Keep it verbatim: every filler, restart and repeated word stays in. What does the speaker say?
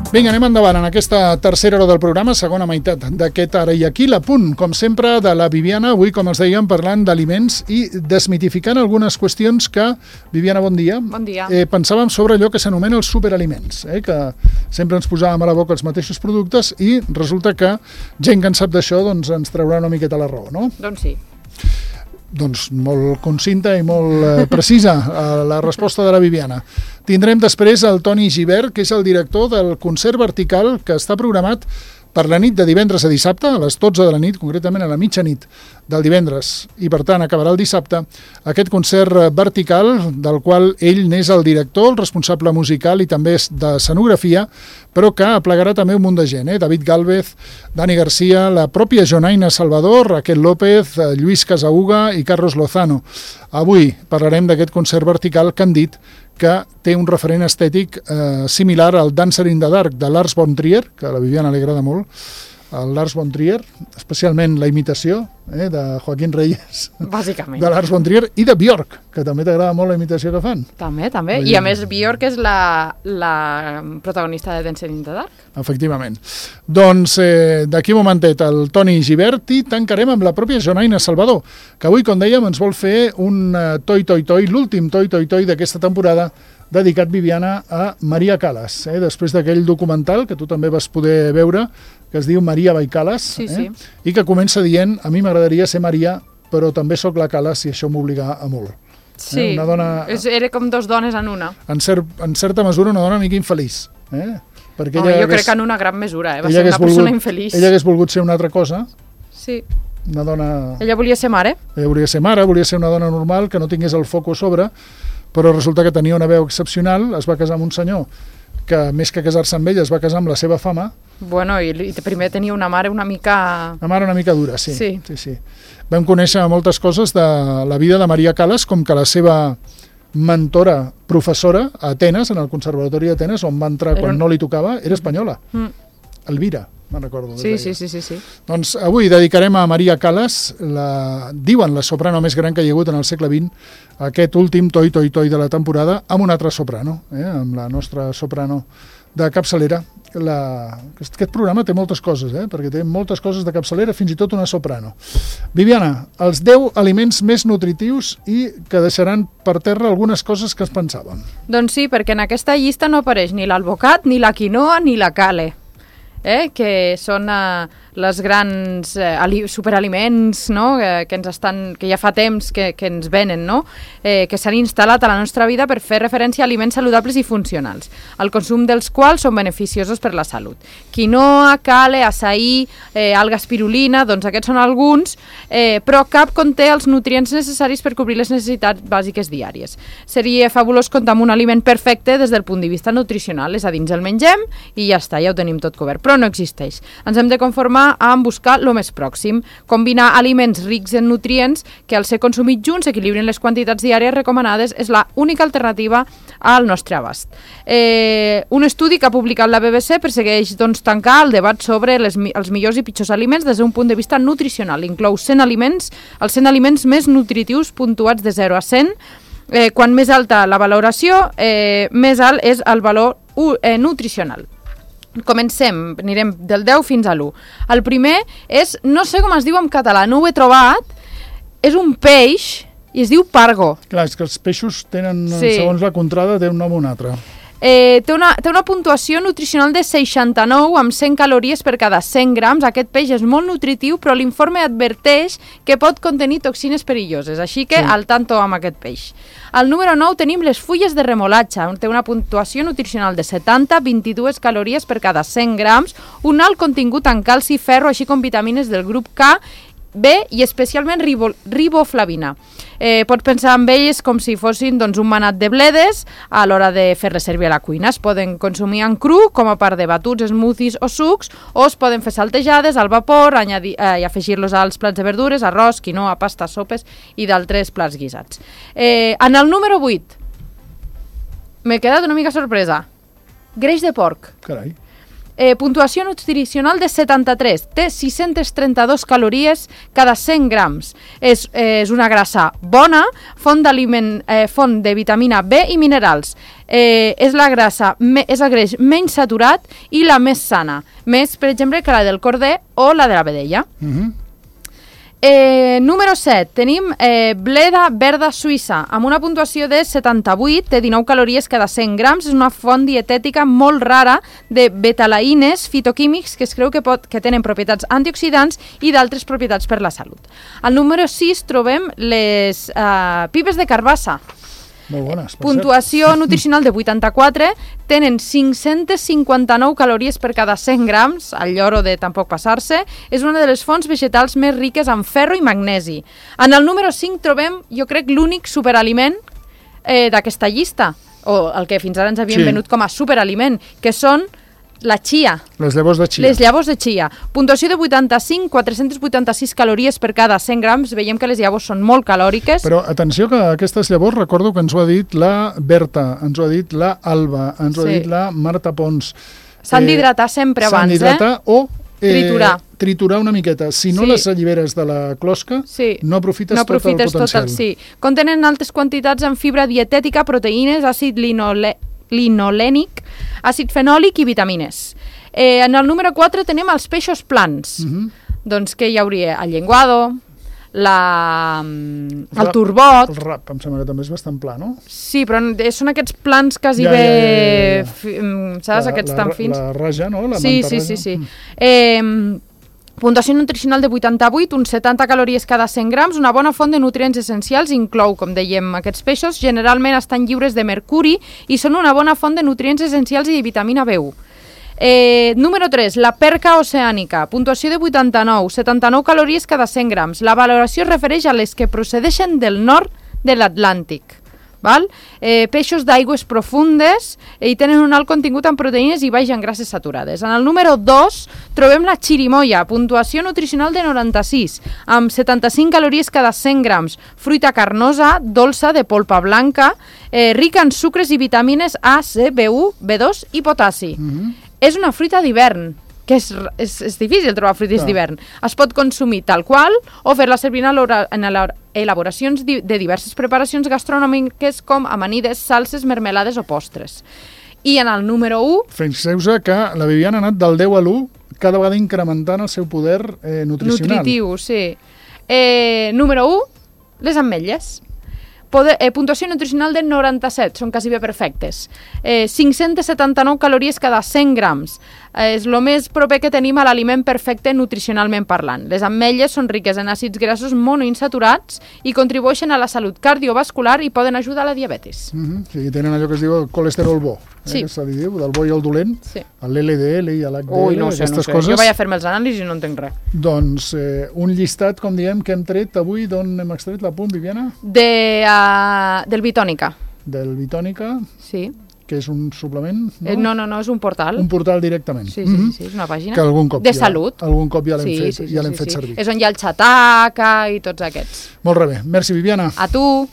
Vinga, anem endavant en aquesta tercera hora del programa, segona meitat d'aquest Ara i Aquí, l'apunt, com sempre, de la Viviana, avui, com els dèiem, parlant d'aliments i desmitificant algunes qüestions que, Viviana, bon dia. Bon dia. Eh, pensàvem sobre allò que s'anomena els superaliments, eh, que sempre ens posàvem a la boca els mateixos productes i resulta que gent que en sap d'això doncs, ens traurà una miqueta la raó, no? Doncs sí. Doncs molt concinta i molt eh, precisa eh, la resposta de la Viviana. Tindrem després el Toni Gibert, que és el director del concert vertical que està programat per la nit de divendres a dissabte, a les dotze de la nit, concretament a la mitjanit del divendres, i per tant acabarà el dissabte, aquest concert vertical del qual ell n'és el director, el responsable musical i també de escenografia, però que aplegarà també un munt de gent, eh? David Gálvez, Dani Garcia, la pròpia Jonaina Salvador, Raquel López, Lluís Casauga i Carlos Lozano. Avui parlarem d'aquest concert vertical que han dit que té un referent estètic eh, similar al Dancer in the Dark de Lars von Trier, que a la Viviana li agrada molt, el Lars von Trier, especialment la imitació eh, de Joaquín Reyes, bàsicament, de Lars von Trier, i de Björk, que també t'agrada molt la imitació que fan. També, també. I a més Björk és la, la protagonista de Dancer in the Dark. Efectivament. Doncs eh, d'aquí un momentet el Toni Gibert i tancarem amb la pròpia Jonaina Salvador, que avui, com dèiem, ens vol fer un uh, toi toi toi, l'últim toi toi toi d'aquesta temporada, dedicat, Viviana, a Maria Callas, eh? Després d'aquell documental que tu també vas poder veure, que es diu Maria by Callas, sí, eh? sí. I que comença dient, a mi m'agradaria ser Maria, però també sóc la Callas i això m'obliga a molt. Sí, eh? Una dona, és, era com dos dones en una. En, cert, en certa mesura una dona una mica infeliç. Eh? Perquè oh, ella jo hagués, crec que en una gran mesura, eh? Va ser una persona volgut, infeliç. Ella hagués volgut ser una altra cosa. Sí. Una dona... Ella volia ser mare. Ella volia ser mare, volia ser una dona normal, que no tingués el foc a sobre, però resulta que tenia una veu excepcional, es va casar amb un senyor que, més que casar-se amb ell, es va casar amb la seva fama. Bueno, i, i primer tenia una mare una mica... Una mare una mica dura, sí. Sí. sí, sí. Vam conèixer moltes coses de la vida de Maria Callas, com que la seva mentora, professora a Atenes, en el Conservatori d'Atenes, on va entrar quan un... no li tocava, era espanyola. Mm. Elvira, me'n recordo. Sí, sí, sí, sí, sí. Doncs avui dedicarem a Maria Callas, la, diuen la soprano més gran que hi ha hagut en el segle vint, aquest últim toi toi toi de la temporada, amb una altra soprano, eh? Amb la nostra soprano de capçalera. La... Aquest programa té moltes coses, eh? Perquè té moltes coses de capçalera, fins i tot una soprano. Viviana, els deu aliments més nutritius i que deixaran per terra algunes coses que es pensaven. Doncs sí, perquè en aquesta llista no apareix ni l'alvocat, ni la quinoa, ni la cale. Eh, que són eh, les grans eh, ali- superaliments, no? eh, que, ens estan, que ja fa temps que, que ens venen, no? eh, que s'han instal·lat a la nostra vida per fer referència a aliments saludables i funcionals, el consum dels quals són beneficiosos per la salut. Quinoa, cale, açaí, eh, alga espirulina, doncs aquests són alguns, eh, però cap conté els nutrients necessaris per cobrir les necessitats bàsiques diàries. Seria fabulós comptar amb un aliment perfecte des del punt de vista nutricional, és a dir, ens el mengem i ja està, ja ho tenim tot cobert, però no existeix. Ens hem de conformar amb buscar el més pròxim, combinar aliments rics en nutrients que al ser consumits junts equilibrin les quantitats diàries recomanades és la única alternativa al nostre abast. Eh, un estudi que ha publicat la B B C persegueix doncs, tancar el debat sobre les, els millors i pitjors aliments des d'un punt de vista nutricional. Inclou cent aliments, els cent aliments més nutritius puntuats de zero a cent. Eh, quan més alta la valoració, eh, més alt és el valor uh, eh, nutricional. Comencem, anirem del deu fins a l'u. El primer és, no sé com es diu en català, no ho he trobat, és un peix i es diu pargo. Clar, és que els peixos tenen, sí. segons la contrada, té un nom o un altre. Eh, té, una, té una puntuació nutricional de seixanta-nou amb cent calories per cada cent grams. Aquest peix és molt nutritiu, però l'informe adverteix que pot contenir toxines perilloses, així que sí. Al tanto amb aquest peix. Al número nou tenim les fulles de remolatxa, té una puntuació nutricional de setanta, vint-i-dues calories per cada cent grams, un alt contingut en calci i ferro, així com vitamines del grup K, B i especialment ribo, riboflavina. Eh, pots pensar en elles com si fossin doncs, un manat de bledes a l'hora de fer-les servir a la cuina. Es poden consumir en cru com a part de batuts, smoothies o sucs, o es poden fer saltejades al vapor añadir, eh, i afegir-los als plats de verdures, arròs, quinoa, pasta, sopes i d'altres plats guisats. Eh, en el número vuit m'he quedat una mica sorpresa. Greix de porc. Carai. Eh, puntuació nutricional de setanta-tres. Té sis-centes trenta-dues calories cada cent grams. És, eh, és una grassa bona, font, eh, font de vitamina B i minerals. Eh, és la grassa, me, és el greix menys saturat i la més sana. Més, per exemple, que la del corder o la de la vedella. Mhm. Eh, número set, tenim eh, bleda verda suïssa, amb una puntuació de setanta-vuit, té dinou calories cada cent grams, és una font dietètica molt rara de betalaïnes fitoquímics que es creu que, pot, que tenen propietats antioxidants i d'altres propietats per la salut. Al número sis trobem les eh, pipes de carbassa. Molt bones, per Puntuació cert. nutricional de vuitanta-quatre, tenen cinc-centes cinquanta-nou calories per cada cent grams, al lloro de tampoc passar-se, és una de les fonts vegetals més riques en ferro i magnesi. En el número cinc trobem, jo crec, l'únic superaliment eh, d'aquesta llista, o el que fins ara ens havien Sí. venut com a superaliment, que són la chia. Les llavors de chia. Les llavors de chia. Puntuació de vuitanta-cinc, quatre-cents vuitanta-sis calories per cada cent grams. Veiem que les llavors són molt calòriques. Però atenció que aquestes llavors, recordo que ens ho ha dit la Berta, ens ho ha dit la Alba, ens ho ha Sí. dit la Marta Pons. S'han d'hidratar sempre S'han abans, d'hidratar eh? o eh, Triturar. triturar una miqueta. Si no Sí. les alliberes de la closca, Sí. no aprofites, no tot el aprofites tot potencial. el, sí. Contenen altes quantitats en fibra dietètica, proteïnes, àcid linole, linolènic, àcid fenòlic i vitamines. Eh, en el número quatre tenim els peixos plans. Mhm. Doncs que hi hauria el llenguado, la, el Rap- turbot. El rap, em sembla que també és bastant pla, no? Sí, però eh, són aquests plans quasi Ja, bé... ja, ja, ja. fi- mm, Saps? La- Aquests la, tan fins. La raja, no? La Sí, manta sí, raja. sí, sí. Mm. Eh, puntuació nutricional de vuitanta-vuit, uns setanta calories cada cent grams, una bona font de nutrients essencials, inclou, com dèiem, aquests peixos, generalment estan lliures de mercuri i són una bona font de nutrients essencials i de vitamina B u. Eh, número tres, la perca oceànica, puntuació de vuitanta-nou, setanta-nou calories cada cent grams. La valoració es refereix a les que procedeixen del nord de l'Atlàntic. Val? Eh, peixos d'aigües profundes eh, i tenen un alt contingut en proteïnes i baix en grasses saturades. En el número dos trobem la xirimoia, puntuació nutricional de noranta-sis, amb setanta-cinc calories cada cent grams, fruita carnosa, dolça, de polpa blanca, eh, rica en sucres i vitamines A, C, B u, B dos i potassi. Mhm. És una fruita d'hivern, que és, és, és difícil trobar fruites Clar. d'hivern. Es pot consumir tal qual o fer-la servir en elabora- en elabora- elaboracions di- de diverses preparacions gastronòmiques com amanides, salses, mermelades o postres. I en el número u, Fixeu-se que la Viviana ha anat del deu a l'u, cada vegada incrementant el seu poder eh, nutricional. nutritiu, sí. Eh, número u, les ametlles. Poder, eh, puntuació nutricional de noranta-set, són quasi bé perfectes. Eh, cinc-centes setanta-nou calories cada cent grams. Eh, és el més proper que tenim a l'aliment perfecte nutricionalment parlant. Les ametlles són riques en àcids grassos monoinsaturats i contribueixen a la salut cardiovascular i poden ajudar a la diabetis. Mhm. Sí, tenen allò que es diu el colesterol bo, eh, Sí. que se li diu, del bo i el dolent, Sí. l'L D L i l'H D L, Ui, no ho sé, no aquestes sé. coses. Jo vaig a fer-me els anàlisis i no entenc res. Doncs eh, un llistat, com diem, que hem tret avui, d'on hem extret l'apunt, Viviana? De, uh, del Bitònica, Del Bitònica, sí. que és un suplement, no? Eh, no, no, no, és un portal. Un portal directament. Sí, sí, sí, sí, és una pàgina. Que algun cop de ja, salut. Algun cop ja l'hem Sí, fet, sí, sí, ja l'hem sí, fet sí. servir. És on hi ha el xataca i tots aquests. Molt bé. Merci, Viviana. A tu!